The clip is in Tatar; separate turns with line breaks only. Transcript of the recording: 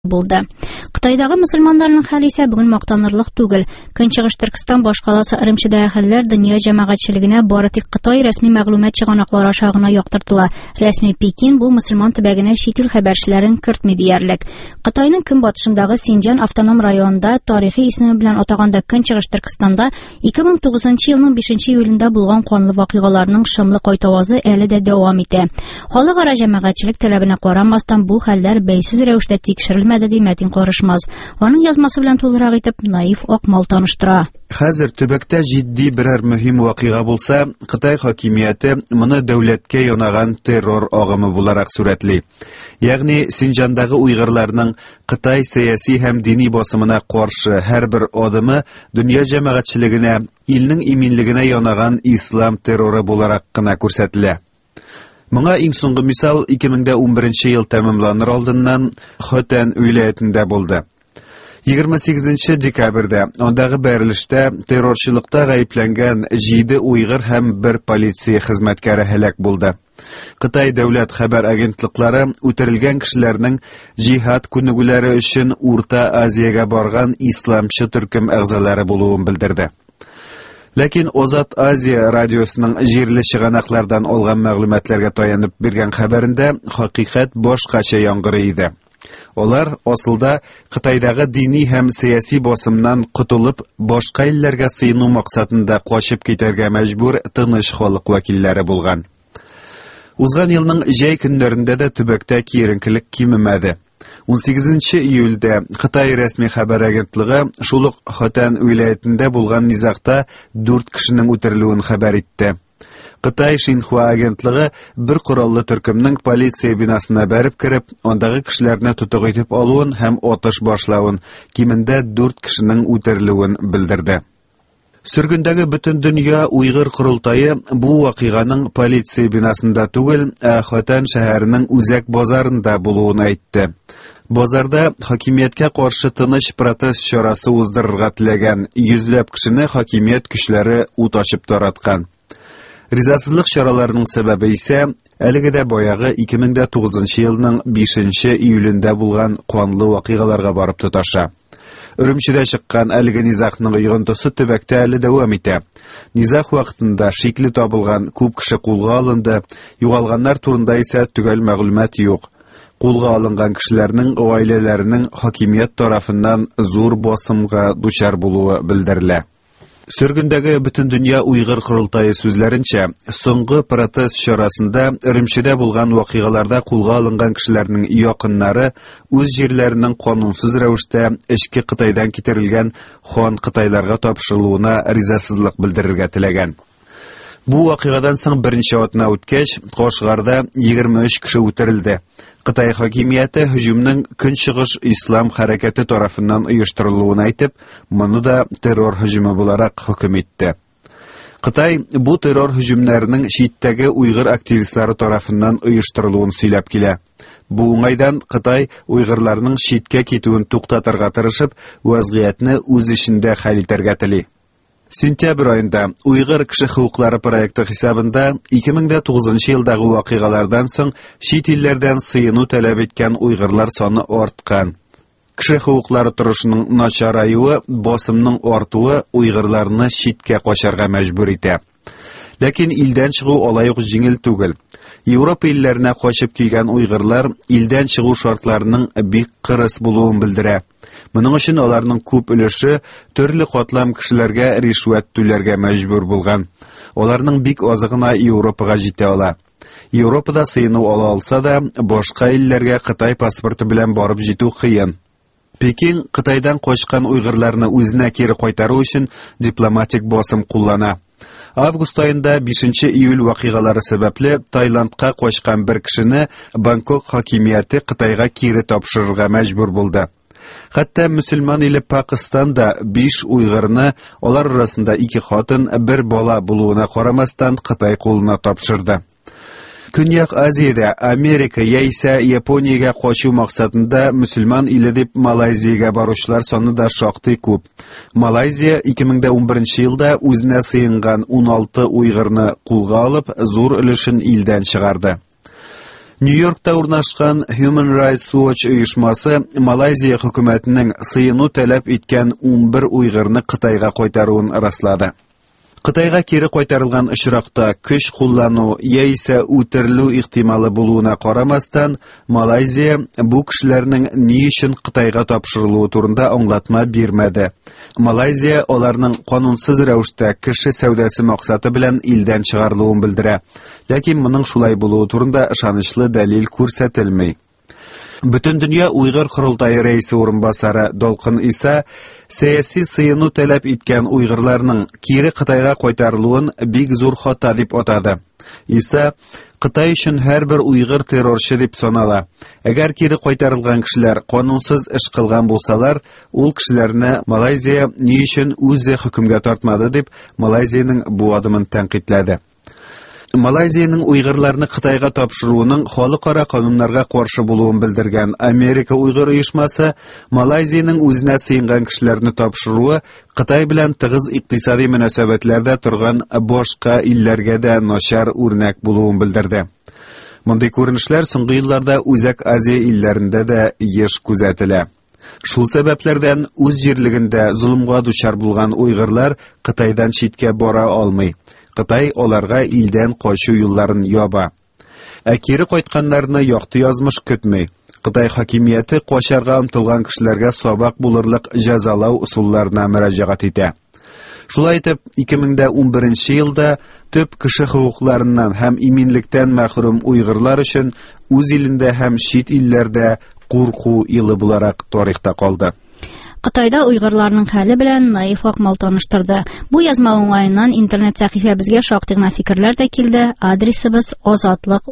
Булды. Кытайдагы мөселманнарның хәле исә бүген мактанырлык түгел. Көнчыгыш Төркестан башкаласы Ырымчыдагы хәлләр дөнья җәмәгатьчелегенә бары тик Кытай рәсми мәгълүмат чыганаклары аша гына яктыртыла. Рәсми Пекин бу мөселман төбәгенә чит ил хәбәрчеләрен кертми диярлек. Кытайның көнбатышындагы Синҗан автоном районында тарихи исеме белән атаганда Көнчыгыш Төркестанда 2009 елның 5 июлендә булган канлы вакыйгаларның шомлы кайтавазы әле дә дәвам итә. Халыкара җәмәгатьчелек таләбенә карамастан, бу хәлләр бәйсез рәвештә тикшерелмәде, ди Мәтин Карышмаз. Аның язмасы белән тулырак итеп Наиф Акмал таныштыра.
Хәзер төбәктә җитди берәр мөһим вакыйга булса, Кытай хакимияте моны дәүләткә янаган террор агымы буларак сурәтли. Ягъни Синҗандагы уйгырларның Кытай сәяси һәм дини басымына каршы һәрбер адымы дөнья җәмәгатьчелегенә илнең иминлегенә янаган ислам терроры буларак кына күрсәтелә. Моңа иң соңгы мисал 2011 ел тәмамланыр алдыннан Хотән вилаятендә булды. 28 декабрьдә андагы бәрелештә террорчылыкта гаепләнгән 7 уйгыр һәм бер полиция хезмәткәре һәлак булды. Кытай дәүләт хәбәр агентлыклары үтерелгән кешеләрнең җиһад күнегүләре өчен Урта Азиягә барган исламчы төркем әгъзалары булуын белдерде. Ләкин Озат Азия радиосының җирле чыганаклардан алган мәгълүматларга таянып биргән хәбәрендә хакыйкать башкача яңгырый иде. Алар асылда Кытайдагы дини һәм сәяси басымнан котылып, башка илләргә сыену максатында качып китәргә мәҗбүр тыныч халык вәкилләре булган. Узган елның җәй көннәрендә дә төбәктә киеренкелек кимемәде. 18 июльдә Кытай рәсми хәбәр агентлыгы шул ук Хотән вилаятендә булган низагта дүрт кешенең үтерелүен хәбәр итте. Кытай Шинхуа агентлыгы бер кораллы төркемнең полиция бинасына бәреп кереп, андагы кешеләрне тотык итеп алуын һәм атыш башлавын, кимендә дүрт кешенең үтерелүен белдерде. Сөргендәге Бөтендөнья уйгыр корылтае бу вакыйганың полиция бинасында түгел, ә Хотан шәһәренең үзәк базарында булуын әйтте. Базарда хакимияткә каршы тыныч протест чарасы уздырырга теләгән йөзләп кешене хакимият көчләре ут ачып тараткан. Ризасызлык чараларының сәбәбе исә әлеге дә баягы 2009 елның 5 июлендә булган канлы вакыйгаларга барып тоташа. Өремчедә чыккан әлеге низагның йогынтысы төбәктә әле дәвам итә. Низаг вакытында шикле табылган күп кеше кулга алынды, югалганнар турында исә төгәл мәгълүмат юк. Кулга алынган кешеләрнең гаиләләренең хакимият тарафыннан зур басымга дучар булуы белдерелә. Сөргендәге Бөтендөнья уйгыр корылтае сүзләренчә, соңгы протест чарасында Өремчедә булган вакыйгаларда кулга алынган кешеләрнең якыннары үз җирләренең канунсыз рәвештә эчке Кытайдан китерелгән хан кытайларга тапшырылуына ризасызлык белдерергә теләгән. Бу вакыйгадан соң берничә атна үткәч, Кашгарда 23 кеше үтерелде. Кытай хакимияте һөҗүмнең Көнчыгыш ислам хәрәкәте тарафыннан оештырылуын әйтеп, моны да террор һөҗүме буларак хөкем итте. Кытай бу террор һөҗүмнәренең читтәге уйгыр активистлары тарафыннан оештырылуын сөйләп килә. Бу уңайдан Кытай уйгырларның читкә китүен туктатырга тырышып, вазгыятьне үз эчендә хәл итәргә тели. Сентябрь аенда Уйгыр кеше хокуклары проекты хисабында 2009 елдагы вакыйгалардан соң чит илләрдән сыену таләп иткән уйгырлар саны арткан. Кеше хокуклары торышының начараюы, басымның артуы уйгырларны читкә качарга мәҗбүр итә. Ләкин илдән чыгу алай ук җиңел түгел. Европа илләренә качып килгән уйгырлар илдән чыгу шартларының бик кырыс булуын белдерә. Моның өчен аларның күп өлеше төрле катлам кешеләргә ришвәт түләргә мәҗбүр булган. Аларның бик азы гына Европага җитә ала. Европада сыену ала алса да, башка илләргә Кытай паспорты белән барып җитү кыен. Пекин Кытайдан качкан уйгырларны үзенә кире кайтару өчен дипломатик басым куллана. Август аенда 5 июль вакыйгалары сәбәпле Таиландка качкан бер кешене Бангкок хакимияте Кытайга кире тапшырырга мәҗбүр булды. Хәтта мөселман иле Пакыстан да 5 уйгырны, алар арасында 2 хатын, бер бала булуына карамастан, Кытай кулына тапшырды. Көньяк Азиядә Америка яисә Япониягә качу максатында мөселман иле дип Малайзиягә баручылар саны да шактый күп. Малайзия 2011 елда үзенә сыенган 16 уйгырны кулга алып, зур өлешен илдән чыгарды. Нью-Йоркта урнашкан Human Rights Watch оешмасы Малайзия хөкүмәтенең сыену таләп иткән 11 уйгырны Кытайга кайтаруын раслады. Кытайга кире кайтарылган очракта көч куллану яисә үтерелү ихтималы булуына карамастан, Малайзия бу кешеләрнең ни өчен Кытайга тапшырылуы турында аңлатма бирмәде. Малайзия аларның канунсыз рәвештә кеше сәүдәсе максаты белән илдән чыгарылуын белдерә. Ләкин моның шулай булуы турында ышанычлы дәлил күрсәтелми. Бөтендөнья Уйгыр корылтае рәисе урынбасары Долкын Иса сәяси сыену таләп иткән уйгырларның кире Кытайга кайтарылуын бик зур хата дип атады. Иса Кытай өчен һәрбер уйгыр террорчы дип санала. Әгәр кире кайтарылган кешеләр канунсыз эш кылган булсалар, ул кешеләрне Малайзия ни өчен үзе хөкемгә тартмады дип Малайзиянең бу адымын тәнкыйтьләде. Малайзиянең уйгырларны Кытайга тапшыруының халыкара кануннарга каршы булуын белдергән Америка уйгыр оешмасы Малайзиянең үзенә сыенган кешеләрне тапшыруы Кытай белән тыгыз икътисади мөнәсәбәтләрдә торган башка илләргә дә начар үрнәк булуын белдерде. Мондый күренешләр соңгы елларда Үзәк Азия илләрендә дә еш күзәтелә. Шул сәбәпләрдән үз җирлегендә золымга дучар булган уйгырлар Кытайдан читкә бара алмый. Кытай аларга илдән качу юлларын яба. Ә кире кайтканнарны якты язмыш көтми. Кытай хакимияте качарга омтылган кешеләргә сабак булырлык җәзалау ысулларына мөрәҗәгать итә. Шулай итеп, 2011 елда төп кеше хокукларыннан һәм иминлектән мәхрүм уйгырлар өчен үз илендә һәм чит илләрдә курку елы буларак тарихта калды.
Кытайда уйгырларның хәле белән Наиф Акмал таныштырды. Бу язма уңаеннан интернет сәхифәбезгә шактый гына фикерләр дә килде. Адресыбыз Азатлык.